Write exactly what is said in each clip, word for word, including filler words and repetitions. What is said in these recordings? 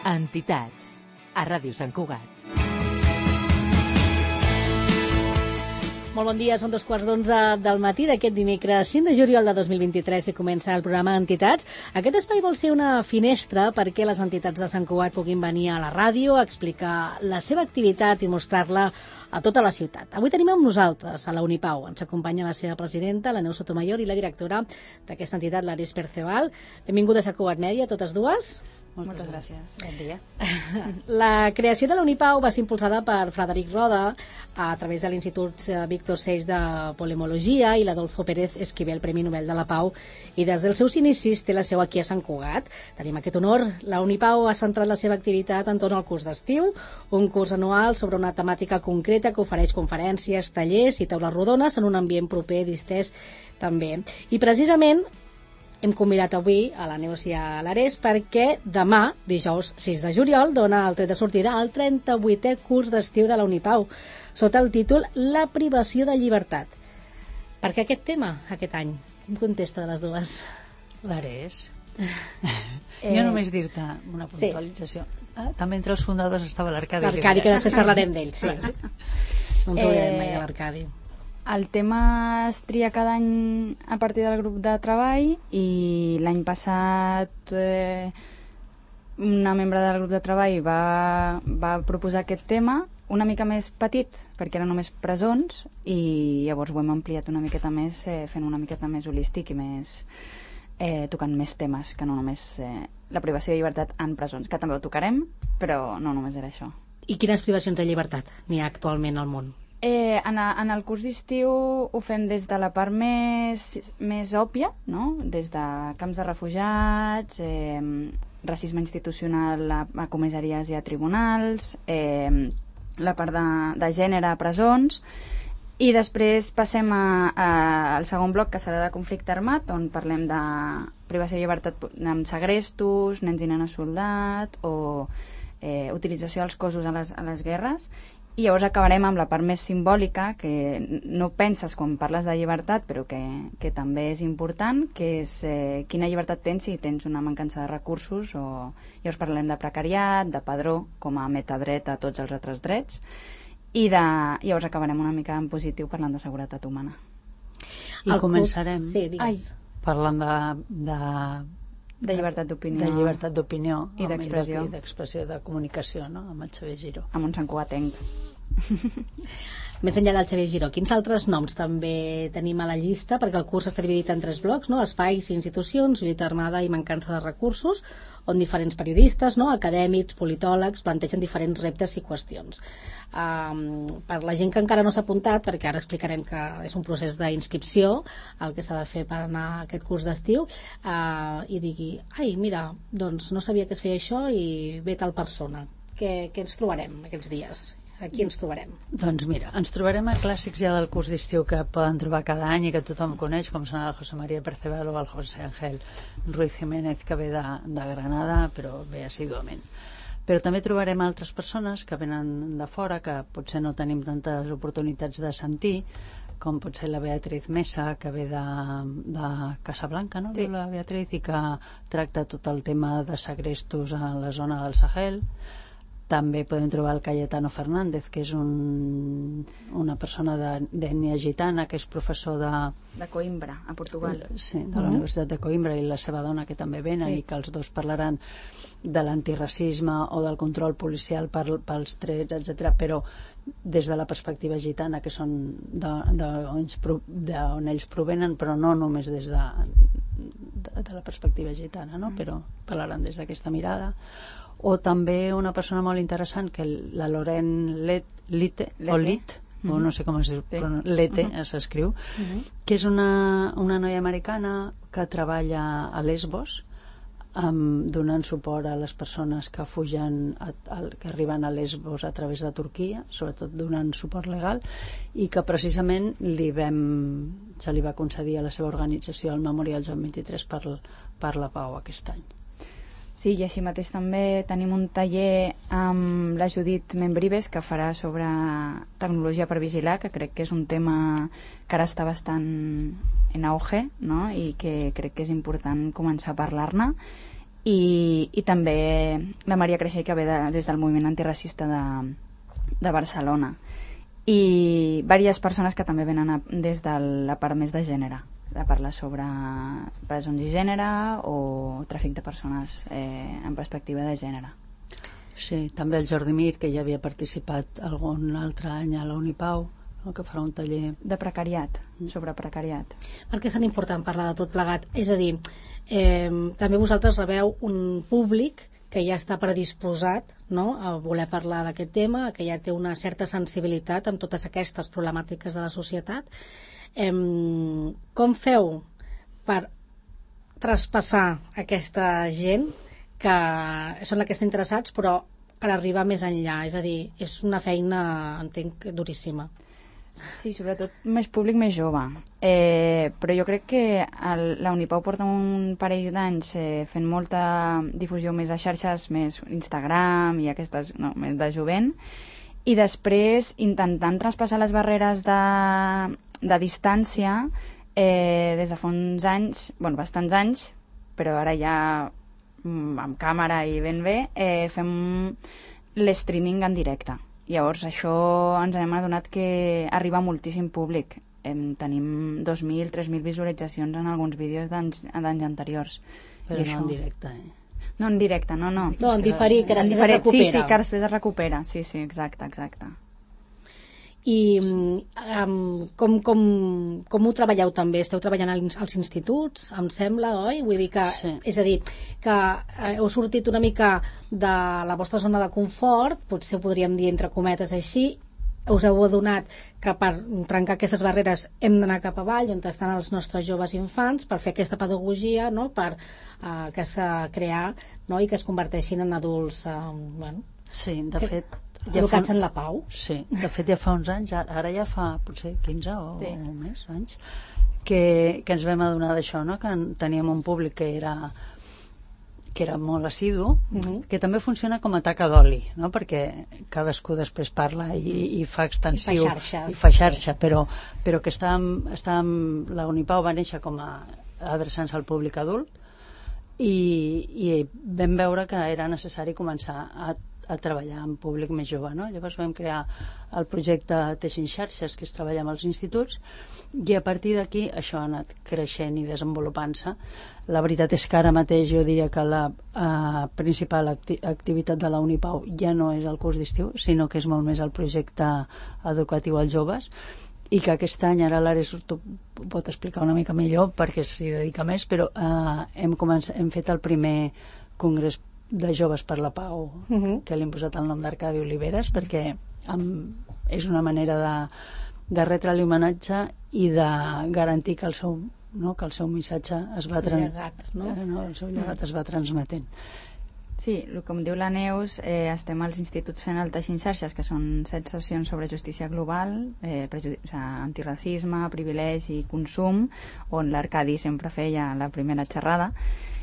Entitats, a Ràdio Sant Cugat. Molt bon dia, són dos quarts d'onze del matí d'aquest dimecres cinc de juliol de dos mil vint-i-tres i comença el programa Entitats. Aquest espai vol ser una finestra perquè les entitats de Sant Cugat puguin venir a la ràdio a explicar la seva activitat i mostrar-la a tota la ciutat. Avui tenim amb nosaltres a la Unipau. Ens acompanya la seva presidenta, la Neus Sotomayor, i la directora d'aquesta entitat, l'Aris Perceval. Benvingudes a Cugat Mèdia, totes dues. Moltes gràcies. Bon dia. La creació de la Unipau va ser impulsada per Frederic Roda a través de l'Institut Víctor Seix de Polemologia i l'Adolfo Pérez Esquivel, Premi Nobel de la Pau, i des dels seus inicis té la seu aquí a Sant Cugat. Tenim aquest honor. La Unipau ha centrat la seva activitat entorn al curs d'estiu, un curs anual sobre una temàtica concreta que ofereix conferències, tallers i taules rodones en un ambient proper, distès també. I precisament hem convidat avui a la Neus i a l'Ares perquè demà, dijous sis de juliol, dona el tret de sortida al trenta-vuitè curs d'estiu de la Unipau, sota el títol La privació de llibertat. Per què aquest tema, aquest any? Quin contesta de les dues? L'Ares. eh... Jo només dir-te una puntualització. Sí. Ah, també entre els fundadors estava l'Arcadi. L'Arcadi, que després parlarem d'ell, sí. No ens oblidem mai de l'Arcadi. El tema es tria cada any a partir del grup de treball i l'any passat eh, una membre del grup de treball va, va proposar aquest tema una mica més petit perquè eren només presons i llavors ho hem ampliat una miqueta més eh, fent una miqueta més holístic i més eh, tocant més temes que no només eh, la privació de llibertat en presons, que també ho tocarem, però no només era això. I quines privacions de llibertat n'hi ha actualment al món? Eh, en, a, en el curs d'estiu ho fem des de la part més, més òbvia, no? Des de camps de refugiats, eh, racisme institucional a, a comissaries i a tribunals, eh, la part de, de gènere a presons, i després passem a, a, al segon bloc, que serà de conflicte armat, on parlem de privació de llibertat amb segrestos, nens i nenes soldat, o eh, utilització dels cossos a les, a les guerres. I llavors acabarem amb la part més simbòlica, que no penses quan parles de llibertat, però que, que també és important, que és eh, quina llibertat tens si tens una mancança de recursos, o llavors parlem de precariat, de padró, com a metadret a tots els altres drets, i de, llavors acabarem una mica en positiu parlant de seguretat humana. I el començarem curs... sí, Ai. parlant de... de... de llibertat d'opinió, de llibertat d'opinió i d'expressió, i d'expressió de comunicació, no? Amb el Xavier Giró, amb un santcugatenc. Més enllà del Xavier Giró, quins altres noms també tenim a la llista? Perquè el curs està dividit en tres blocs, no? Espais i institucions, lluita armada i mancança de recursos, on diferents periodistes, no? Acadèmics, politòlegs, plantegen diferents reptes i qüestions. Um, per la gent que encara no s'ha apuntat, perquè ara explicarem que és un procés d'inscripció el que s'ha de fer per anar a aquest curs d'estiu, uh, i digui, ai, mira, doncs no sabia que es feia això i ve tal persona. Què, què ens trobarem aquests dies? Aquí ens trobarem. Doncs mira, ens trobarem a clàssics ja del curs d'estiu que poden trobar cada any i que tothom coneix, com són el José María Perceval o el José Ángel Ruiz Jiménez, que ve de, de Granada, però ve assíduament. Però també trobarem altres persones que venen de fora, que potser no tenim tantes oportunitats de sentir, com pot ser la Beatriz Mesa, que ve de, de Casablanca, no? Sí. La Beatriz, i que tracta tot el tema de segrestos a la zona del Sahel. També podem trobar el Cayetano Fernández, que és un, una persona d'ètnia gitana, que és professor de... de Coimbra, a Portugal. Sí, de la uh-huh. Universitat de Coimbra, i la seva dona, que també venen, sí. I que els dos parlaran de l'antiracisme o del control policial per, pels trets, etcètera, però des de la perspectiva gitana, que són d'on ells provenen, però no només des de, de, de la perspectiva gitana, no? Però parlaran des d'aquesta mirada. O també una persona molt interessant, que la Loren Let, Lite, o Lit, uh-huh. o no sé com es diu, però Lete uh-huh. s'escriu, uh-huh. que és una, una noia americana que treballa a Lesbos, um, donant suport a les persones que fugen, a, a, que arriben a Lesbos a través de Turquia, sobretot donant suport legal, i que precisament li vam, se li va concedir a la seva organització el Memorial Joan vint-i-tres per, per la Pau aquest any. Sí, i així mateix també tenim un taller amb la Judit Membrives, que farà sobre tecnologia per vigilar, que crec que és un tema que ara està bastant en auge, no? I que crec que és important començar a parlar-ne. i, i també la Maria Creixell, que ve de, des del moviment antiracista de, de Barcelona, i diverses persones que també venen a, des de la part més de gènere, de parlar sobre presons i gènere o tràfic de persones eh, en perspectiva de gènere. Sí, també el Jordi Mir, que ja havia participat algun altre any a la Unipau, no, que farà un taller de precariat, sobre precariat. Per què és tan important parlar de tot plegat? És a dir, eh, també vosaltres rebeu un públic que ja està predisposat, no?, a voler parlar d'aquest tema, que ja té una certa sensibilitat amb totes aquestes problemàtiques de la societat. Eh, com feu per traspassar aquesta gent que són aquests interessats, però per arribar més enllà? És a dir, és una feina, entenc, duríssima. Sí, sobretot més públic més jove. Eh, però jo crec que el, la Unipau porta un parell d'anys eh, fent molta difusió més a xarxes, més Instagram i aquestes, no, més de jovent, i després intentant traspassar les barreres de, de distància eh, des de fa uns anys, bueno, bastants anys, però ara ja amb càmera i ben bé, eh, fem l'streaming en directe. Llavors això ens hem adonat que arriba a moltíssim públic. Em, tenim dos mil, tres mil visualitzacions en alguns vídeos d'anys anteriors. Però no en directe, eh? No en directe, no, no. No, en diferit, que després es recupera. Sí, sí, que després es recupera. Sí, sí, exacte, exacte. I um, com, com, com ho treballeu també? Esteu treballant als instituts, em sembla, oi? Vull dir que, sí. És a dir, que heu sortit una mica de la vostra zona de confort, potser ho podríem dir entre cometes així, us heu adonat que per trencar aquestes barreres hem d'anar cap avall, on estan els nostres joves infants, per fer aquesta pedagogia, no?, per uh, que s'ha crear, no?, i que es converteixin en adults, uh, bueno... Sí, de que... fet... Ja educats fa... en la pau. Sí, de fet ja fa uns anys, ara ja fa potser quinze o, sí. o més anys, que, que ens vam adonar d'això, no?, que teníem un públic que era que era molt assidu, uh-huh. que també funciona com a taca d'oli, no?, perquè cadascú després parla i, i fa extensiu, i fa xarxa, i fa xarxa sí. però, però que estàvem, estàvem, la Unipau va néixer com a adreçant-se al públic adult i, i vam veure que era necessari començar a a treballar amb públic més jove, no? Llavors vam crear el projecte Teixint Xarxes, que és treballar amb els instituts, i a partir d'aquí això ha anat creixent i desenvolupant-se. La veritat és que ara mateix jo diria que la uh, principal acti activitat de la Unipau ja no és el curs d'estiu, sinó que és molt més el projecte educatiu als joves, i que aquest any, ara l'Ares t'ho pot explicar una mica millor perquè s'hi dedica més, però uh, hem, començat, hem fet el primer congrés de Joves per la Pau, uh-huh. que li hem posat el nom d'Arcadi Oliveres perquè amb, és una manera de, de retre-li homenatge i de garantir que el seu, no, que el seu missatge es va, el llegat, no? Eh, no, el seu llegat uh-huh. es va transmetent. Sí, com diu la Neus, eh, estem als instituts fent el Teixint Xarxes, que són set sessions sobre justícia global, eh, o sigui, antiracisme, privilegi i consum, on l'Arcadi sempre feia la primera xerrada.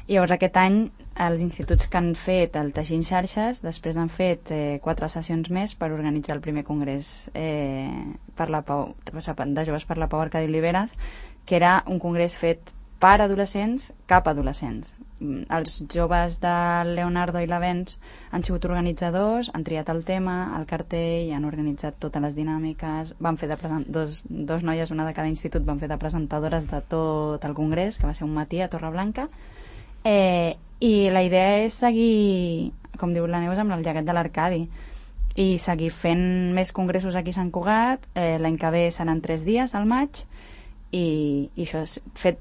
I llavors aquest any els instituts que han fet el Teixint Xarxes després han fet eh, quatre sessions més per organitzar el primer congrés eh, per la Pau, de Joves per la Pau Arcadi Oliveres, que era un congrés fet per adolescents cap a adolescents. Els joves de Leonardo i l'Avens han sigut organitzadors, han triat el tema, el cartell, han organitzat totes les dinàmiques, van fer de present... dos, dos noies, una de cada institut, van fer de presentadores de tot el congrés, que va ser un matí a Torreblanca. Eh, i la idea és seguir, com diu la Neus, amb el llegat de l'Arcadi i seguir fent més congressos aquí a Sant Cugat. eh, l'any que ve seran tres dies al maig i, i això és fet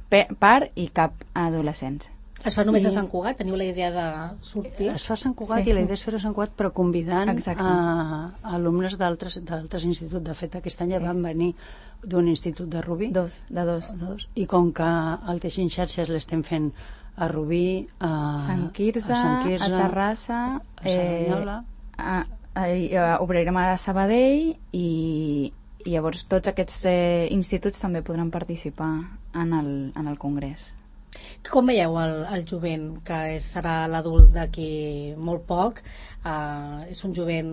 per i cap a adolescents. Es fa només I... a Sant Cugat? Teniu la idea de sortir? Es fa a Sant Cugat, sí. I la idea és fer-ho a Sant Cugat, però convidant a, a alumnes d'altres instituts. De fet, aquest any sí. van venir d'un institut de Rubí. Dos, de dos. De dos. I com que el Teixint Xarxes l'estem fent a Rubí, a Sant Quirze, a, Sant Quirze, a Terrassa, a Cerdanyola, eh, a, a, a, obrirem a Sabadell i, i llavors tots aquests eh, instituts també podran participar en el, en el congrés. Com veieu el, el jovent, que és, serà l'adult d'aquí molt poc? Uh, és un jovent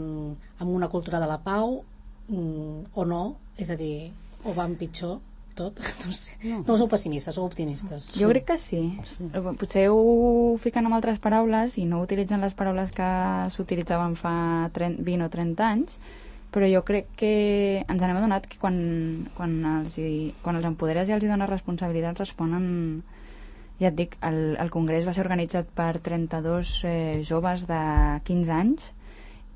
amb una cultura de la pau mm, o no? És a dir, o van pitjor? tot? No sé. No, no sou pessimistes, sou optimistes. Jo crec que sí. sí. Potser ho fiquen amb altres paraules i no utilitzen les paraules que s'utilitzaven fa trenta, vint o trenta anys, però jo crec que ens n'hem adonat que quan, quan, els, hi, quan els empoderes i els hi dones responsabilitats responen. Ja et dic, el, el congrés va ser organitzat per trenta-dos eh, joves de quinze anys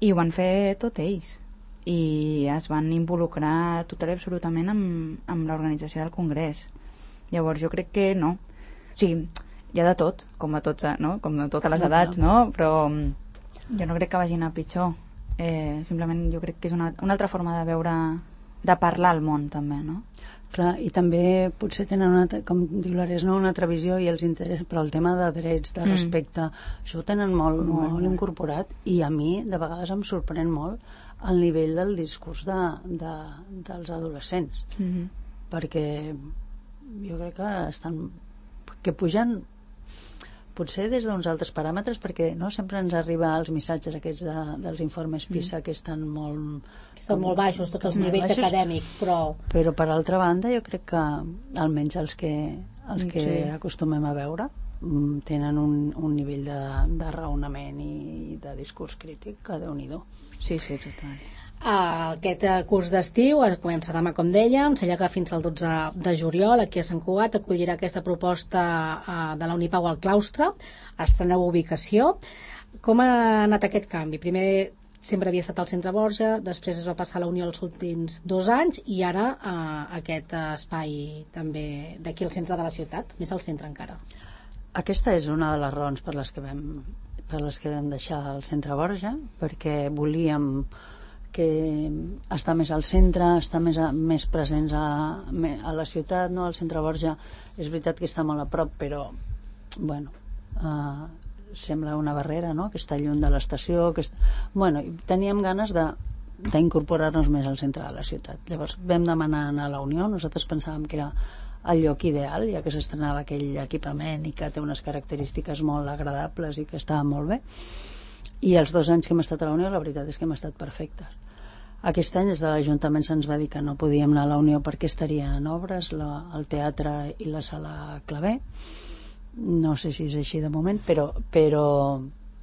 i ho van fer tot ells i es van involucrar total i absolutament amb, amb l'organització del congrés. Llavors jo crec que no, o sigui, hi ha de tot, com a, tots, no? Com a totes les edats, no? Però jo no crec que vagin a pitjor, eh, simplement jo crec que és una, una altra forma de veure, de parlar al món també, no? Clar, i també potser tenen una, com diu l'Ares, no, una altra visió i els interessa, però el tema de drets, de respecte, mm. això ho tenen molt, molt, molt incorporat i a mi de vegades em sorprèn molt el nivell del discurs de, de, dels adolescents, mm-hmm. perquè jo crec que estan que pugen potser des d'uns altres paràmetres, perquè no sempre ens arriba els missatges aquests de, dels informes PISA mm. que estan molt... Que estan molt baixos, tots els nivells baixos, acadèmics, però... Però per altra banda jo crec que almenys els que, els que sí. acostumem a veure tenen un, un nivell de, de raonament i de discurs crític que Déu-n'hi-do. Sí, sí, total. Aquest curs d'estiu comença demà, com dèiem, s'allarga fins al dotze de juliol. Aquí a Sant Cugat acollirà aquesta proposta de la Unipau al claustre, estreneu ubicació. Com ha anat aquest canvi? Primer sempre havia estat al Centre Borja, després es va passar a la Unió els últims dos anys i ara eh, aquest espai també d'aquí al centre de la ciutat, més al centre encara. Aquesta és una de les raons per les que vam, per les que vam deixar el Centre Borja, perquè volíem que està més al centre, està més, a, més presents a, a la ciutat, no? El Centre Borja és veritat que està molt a prop, però bueno, eh, sembla una barrera, no? Que està lluny de l'estació, que est... bueno, teníem ganes de d'incorporar-nos més al centre de la ciutat. Llavors vam demanar anar a la Unió, nosaltres pensàvem que era el lloc ideal, ja que s'estrenava aquell equipament i que té unes característiques molt agradables i que estava molt bé. I els dos anys que hem estat a la Unió, la veritat és que hem estat perfectes. Aquest any des de l'Ajuntament se'ns va dir que no podíem anar a la Unió perquè estaria en obres la, el teatre i la sala Clavé. No sé si és així de moment, però, però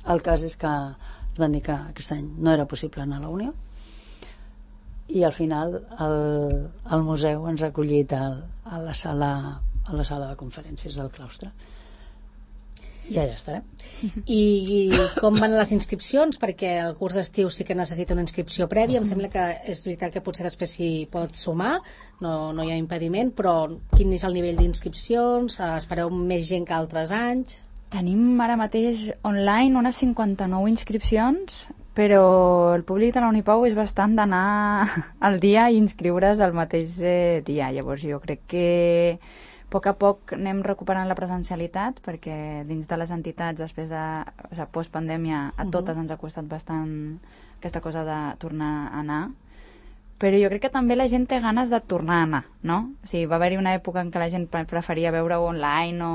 el cas és que ens van dir que aquest any no era possible anar a la Unió i al final el, el museu ens ha acollit al, a, la sala, a la sala de conferències del claustre. I allà estarem. I com van les inscripcions? Perquè el curs d'estiu sí que necessita una inscripció prèvia. Em sembla que és veritat que potser després s'hi pot sumar, no, no hi ha impediment, però quin és el nivell d'inscripcions? Espereu més gent que altres anys? Tenim ara mateix online unes cinquanta-nou inscripcions, però el públic de la Unipau és bastant d'anar al dia i inscriure's el mateix eh, dia. Llavors jo crec que a poc a poc anem recuperant la presencialitat, perquè dins de les entitats, després de o sigui, postpandèmia, a totes ens ha costat bastant aquesta cosa de tornar a anar. Però jo crec que també la gent té ganes de tornar a anar, no? O sigui, va haver-hi una època en què la gent preferia veure-ho online o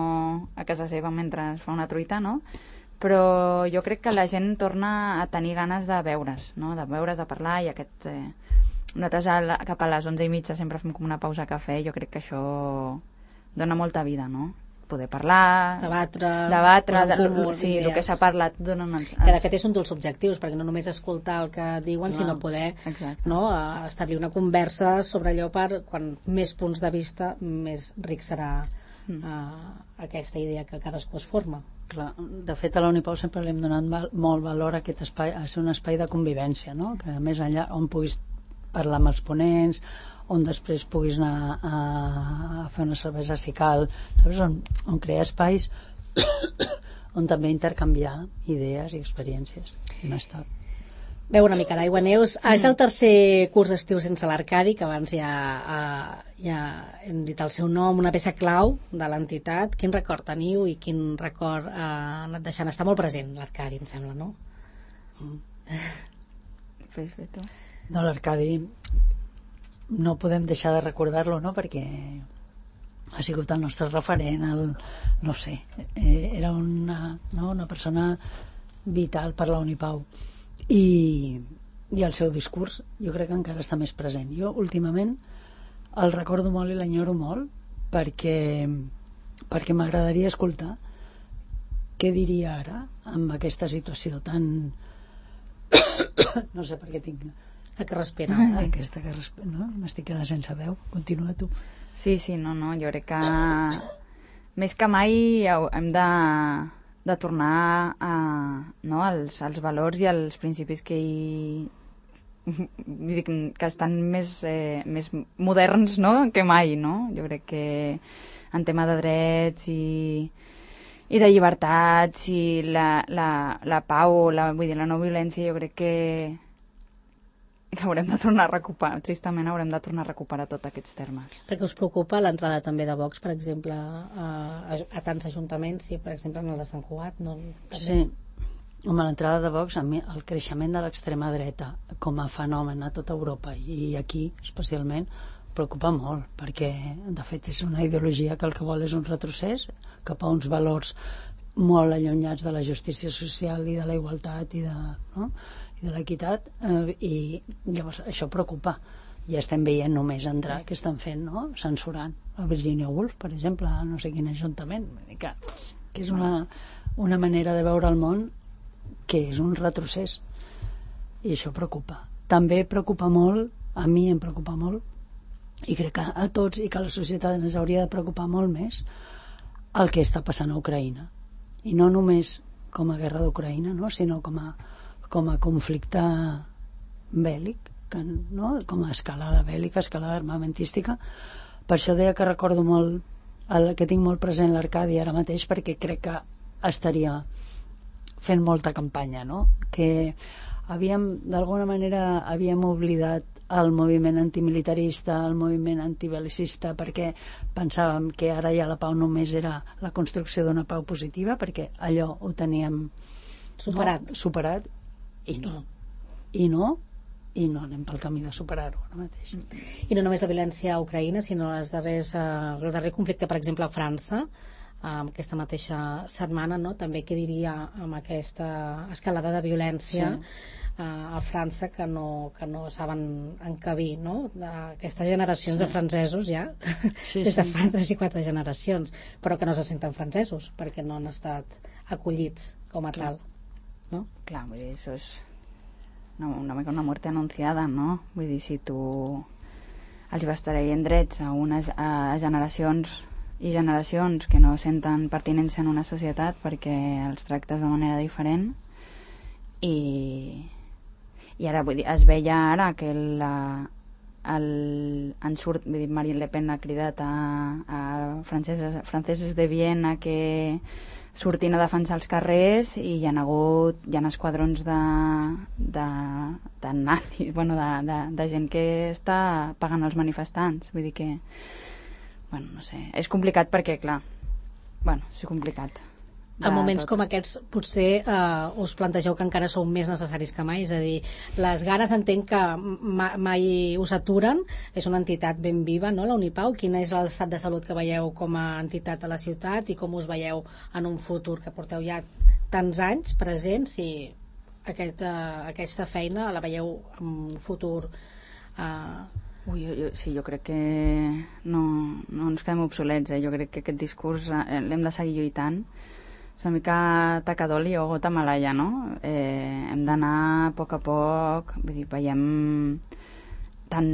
a casa seva mentre es fa una truita, no? Però jo crec que la gent torna a tenir ganes de veure's, no? De veure's, de parlar, i aquest... Eh, nosaltres a, cap a les onze i mitja sempre fem com una pausa a cafè, jo crec que això dona molta vida, no? Poder parlar, debatre, debatre de, sí, el que s'ha parlat dona uns... que de fet és un dels objectius, perquè no només escoltar el que diuen, no, sinó poder no, establir una conversa sobre allò per, quan més punts de vista, més ric serà mm. uh, aquesta idea que cadascú es forma. Clar, de fet a la Unipau sempre li hem donat val, molt valor a aquest espai, a ser un espai de convivència, no? Que més enllà on puguis parlar amb els ponents, on després puguis anar a, a fer una cervesa si cal, saps? On, on crear espais on també intercanviar idees i experiències i no està. Veu una mica d'aigua, Neus. Ah, és el tercer curs d'estiu sense l'Arcadi, que abans ja, uh, ja hem dit el seu nom, una peça clau de l'entitat. Quin record teniu i quin record uh, ha anat deixant? Està molt present l'Arcadi, em sembla, no? Mm. Fes bé tu. No, l'Arcadi no podem deixar de recordar-lo, no? Perquè ha sigut el nostre referent, el, no sé, eh, era una, no? una persona vital per la Unipau i, i el seu discurs jo crec que encara està més present. Jo últimament el recordo molt i l'enyoro molt perquè, perquè m'agradaria escoltar què diria ara amb aquesta situació tan... no sé per què tinc... La que respira. Aquesta que respira, no? M'estic quedant sense veu. Continua tu. Sí, sí, no, no, jo crec que més que mai hem de, de tornar a, no, als, als valors i als principis que hi, que estan més, eh, més moderns, no?, que mai, no? Jo crec que en tema de drets i, i de llibertats i la, la, la pau, la, vull dir, la no violència, jo crec que que haurem de tornar a recuperar, tristament haurem de tornar a recuperar tots aquests termes. Perquè us preocupa l'entrada també de Vox, per exemple, a, a, a tants ajuntaments, i per exemple en el de Sant Cugat, no? També... Sí, home, l'entrada de Vox, a mi, el creixement de l'extrema dreta com a fenomen a tota Europa i aquí especialment preocupa molt, perquè de fet és una ideologia que el que vol és un retrocés cap a uns valors molt allunyats de la justícia social i de la igualtat i de... No? i de l'equitat, eh, i llavors això preocupa. Ja estem veient només entrar que estan fent, no?, censurant a Virginia Woolf, per exemple, a no sé quin ajuntament, que, que és una, una manera de veure el món que és un retrocés, i això preocupa. També preocupa molt, a mi em preocupa molt, i crec que a tots i que a la societat ens hauria de preocupar molt més el que està passant a Ucraïna, i no només com a guerra d'Ucraïna, no?, sinó com a com a conflicte bèl·lic, que, no? Com a escalada bèl·lica, escalada armamentística. Per això deia que recordo molt el, que tinc molt present l'Arcadi ara mateix, perquè crec que estaria fent molta campanya, no? Que havíem, d'alguna manera havíem oblidat el moviment antimilitarista, el moviment antibelicista, perquè pensàvem que ara ja la pau només era la construcció d'una pau positiva, perquè allò ho teníem superat, no? superat i no, i no i no anem pel camí de superar-ho ara mateix. I no només la violència a Ucraïna, sinó les darrers, uh, el darrer conflicte, per exemple, a França, um, aquesta mateixa setmana, no?, també què diria amb aquesta escalada de violència, sí. uh, a França, que no, que no saben encabir, no?, d'aquestes generacions, sí. de francesos ja, sí, des de sí. fa tres i quatre generacions, però que no se senten francesos perquè no han estat acollits com a Clar. tal. ¿No? Clar, vull dir, això és una, una mica una muerte anunciada, no? Vull dir, si tu els vas traient drets a unes a generacions i generacions que no senten pertinença en una societat perquè els tractes de manera diferent, i, i ara, vull dir, es veia ara que la, el, en surt, vull dir, Marine Le Pen ha cridat a, a franceses, franceses de Viena que sortint a defensar els carrers, i hi ha hagut hi ha esquadrons de, de, de nazis, bueno, de, de, de gent que està pagant els manifestants. Vull dir que, bueno, no sé, és complicat perquè, clar, bueno, és complicat. En moments tot. Com aquests potser eh, us plantegeu que encara sou més necessaris que mai, és a dir, les ganes entenc que ma mai us aturen, és una entitat ben viva, no?, la Unipau. Quin és l'estat de salut que veieu com a entitat a la ciutat i com us veieu en un futur, que porteu ja tants anys presents, i aquesta, aquesta feina la veieu en un futur eh... Ui, jo, jo, sí, jo crec que no, no ens quedem obsolets, eh? Jo crec que aquest discurs eh, l'hem de seguir lluitant. És una mica tacadol i o gota malaia, no? Eh, hem d'anar a poc a poc, vull dir, veiem tant,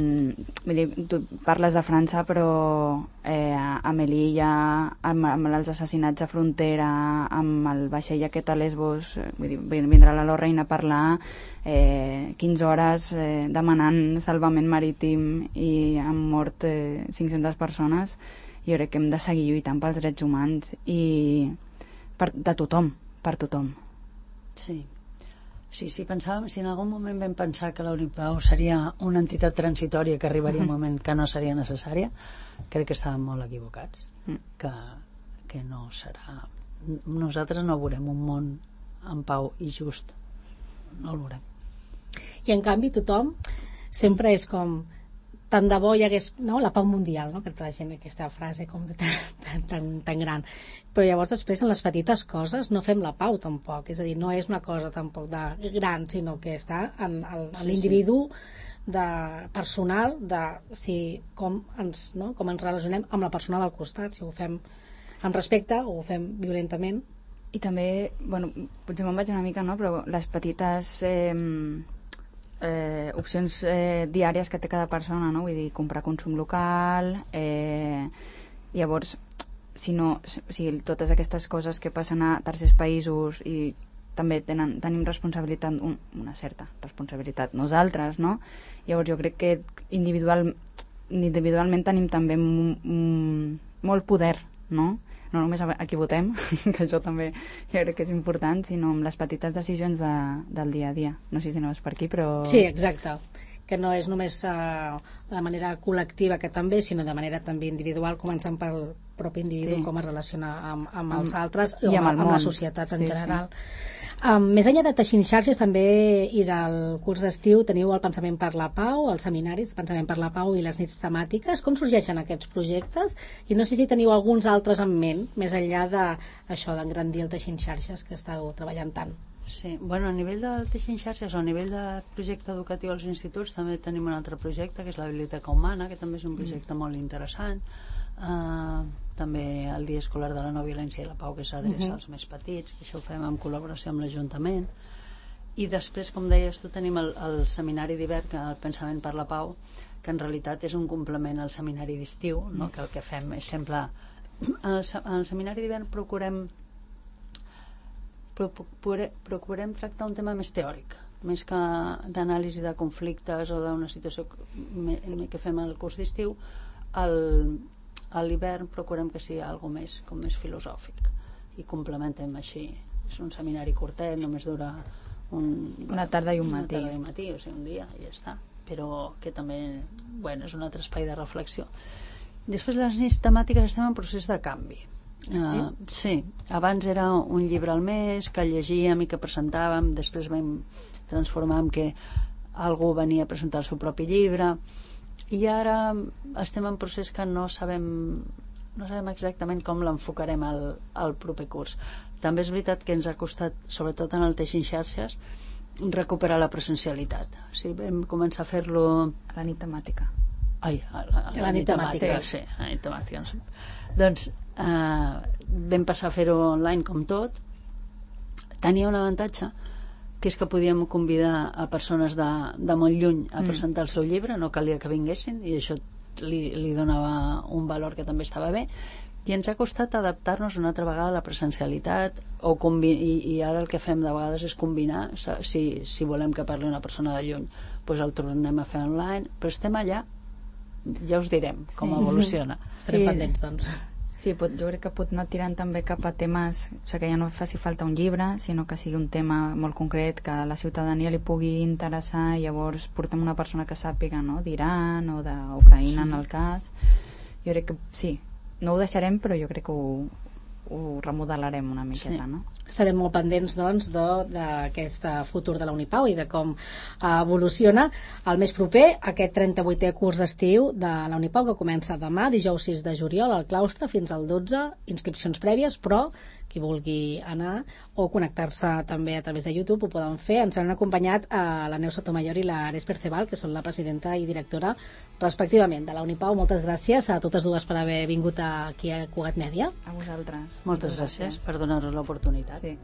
vull dir, tu parles de França, però eh, a Melilla, amb, amb els assassinats a frontera, amb el vaixell aquest a Lesbos, vull dir, vindrà la Lorraine a parlar eh, quinze hores eh, demanant salvament marítim, i han mort eh, cinc-centes persones. Jo crec que hem de seguir lluitant pels drets humans i per, de tothom, per tothom. Sí. Sí, sí, pensàvem, si en algun moment vam pensar que la Unipau seria una entitat transitòria, que arribaria un moment que no seria necessària, crec que estàvem molt equivocats, que, que no serà... Nosaltres no veurem un món en pau i just, no el veurem. I en canvi tothom sempre és com... tant de bo hi hagués, no?, la pau mundial, no?, que la gent, aquesta frase com tan, tan, tan, tan gran, però llavors després en les petites coses no fem la pau tampoc, és a dir, no és una cosa tampoc de gran, sinó que està en, en, en l'individu de personal, de si, com, ens, no? com ens relacionem amb la persona del costat, si ho fem amb respecte o ho fem violentament. I també, bueno, potser me'n vaig una mica, no? Però les petites eh, eh, opcions eh, diàries que té cada persona, no? Vull dir, comprar consum local, eh, llavors, si no, si totes aquestes coses que passen a tercers països i també tenen, tenim responsabilitat, un, una certa responsabilitat nosaltres, no? Llavors jo crec que individual, individualment tenim també m, m, molt poder, no? No només a qui votem, que això també jo crec que és important, sinó amb les petites decisions de, del dia a dia. No sé si anaves per aquí, però... Sí, exacte. Que no és només uh, de manera col·lectiva, que també, sinó de manera també individual, començant pel propi individu, sí. com es relaciona amb, amb, amb els altres i amb, amb, amb la societat en sí, general. Sí. Um, més enllà de Teixint Xarxes també i del curs d'estiu teniu el Pensament per la Pau, els seminaris Pensament per la Pau i les nits temàtiques. Com sorgeixen aquests projectes? I no sé si teniu alguns altres en ment, més enllà d'això d'engrandir el Teixint Xarxes que esteu treballant tant. Sí, bueno, a nivell del Teixint Xarxes o a nivell de projecte educatiu als instituts també tenim un altre projecte que és la Biblioteca Humana, que també és un projecte mm. molt interessant. Uh, també el Dia Escolar de la No Violència i la Pau, que s'adreça uh-huh. als més petits, que això ho fem en col·laboració amb l'Ajuntament. I després, com deies tu, tenim el, el seminari d'hivern, el Pensament per la Pau, que en realitat és un complement al seminari d'estiu, no? Que el que fem és sempre... En el, en el seminari d'hivern procurem procure, procurem tractar un tema més teòric, més que d'anàlisi de conflictes o d'una situació que fem al curs d'estiu. El a l'hivern procurem que sigui alguna més, com més filosòfic, i complementem així. És un seminari curtet, només dura un, una tarda i un matí, una tarda i un matí, o sigui, un dia i ja està, però que també, bueno, és un altre espai de reflexió. Després, les nits temàtiques estem en procés de canvi. Sí? Uh, sí, abans era un llibre al mes que llegíem i que presentàvem, després vam transformar en que algú venia a presentar el seu propi llibre. I ara estem en procés que no sabem no sabem exactament com l'enfocarem al, al proper curs. També és veritat que ens ha costat, sobretot en el Teixint Xarxes, recuperar la presencialitat. O sigui, vam començar a fer-lo... A la nit temàtica. Ai, a la, a la, la nit temàtica, temàtica, sí, a la nit temàtica. No sé. Doncs eh, vam passar a fer-ho online com tot. Tenia un avantatge, que és que podíem convidar a persones de, de molt lluny a presentar el seu llibre, no calia que vinguessin, i això li, li donava un valor que també estava bé, i ens ha costat adaptar-nos una altra vegada a la presencialitat, o combi- i, i ara el que fem de vegades és combinar, si, si volem que parli una persona de lluny, doncs el tornem a fer online, però estem allà, ja us direm com sí. evoluciona. Estarem sí. pendents, doncs. Sí, pot, jo crec que pot anar tirant també cap a temes, o sigui, que ja no faci falta un llibre, sinó que sigui un tema molt concret, que a la ciutadania li pugui interessar, i llavors portem una persona que sàpiga, no?, d'Iran o d'Ucraïna, sí. en el cas. Jo crec que sí, no ho deixarem, però jo crec que ho, ho remodelarem una miqueta, sí. no? Estarem molt pendents, doncs, d'aquest futur de la Unipau i de com evoluciona el més proper, aquest trenta-vuitè curs d'estiu de la Unipau, que comença demà, dijous sis de juliol, al claustre, fins al dotze, inscripcions prèvies, però qui vulgui anar o connectar-se també a través de YouTube ho poden fer. Ens han acompanyat a la Neus Sotomayor i l'Ares Perceval, que són la presidenta i directora respectivament de la Unipau. Moltes gràcies a totes dues per haver vingut aquí a Cugat Mèdia. A vosaltres. Moltes gràcies per donar-nos l'oportunitat. Sí.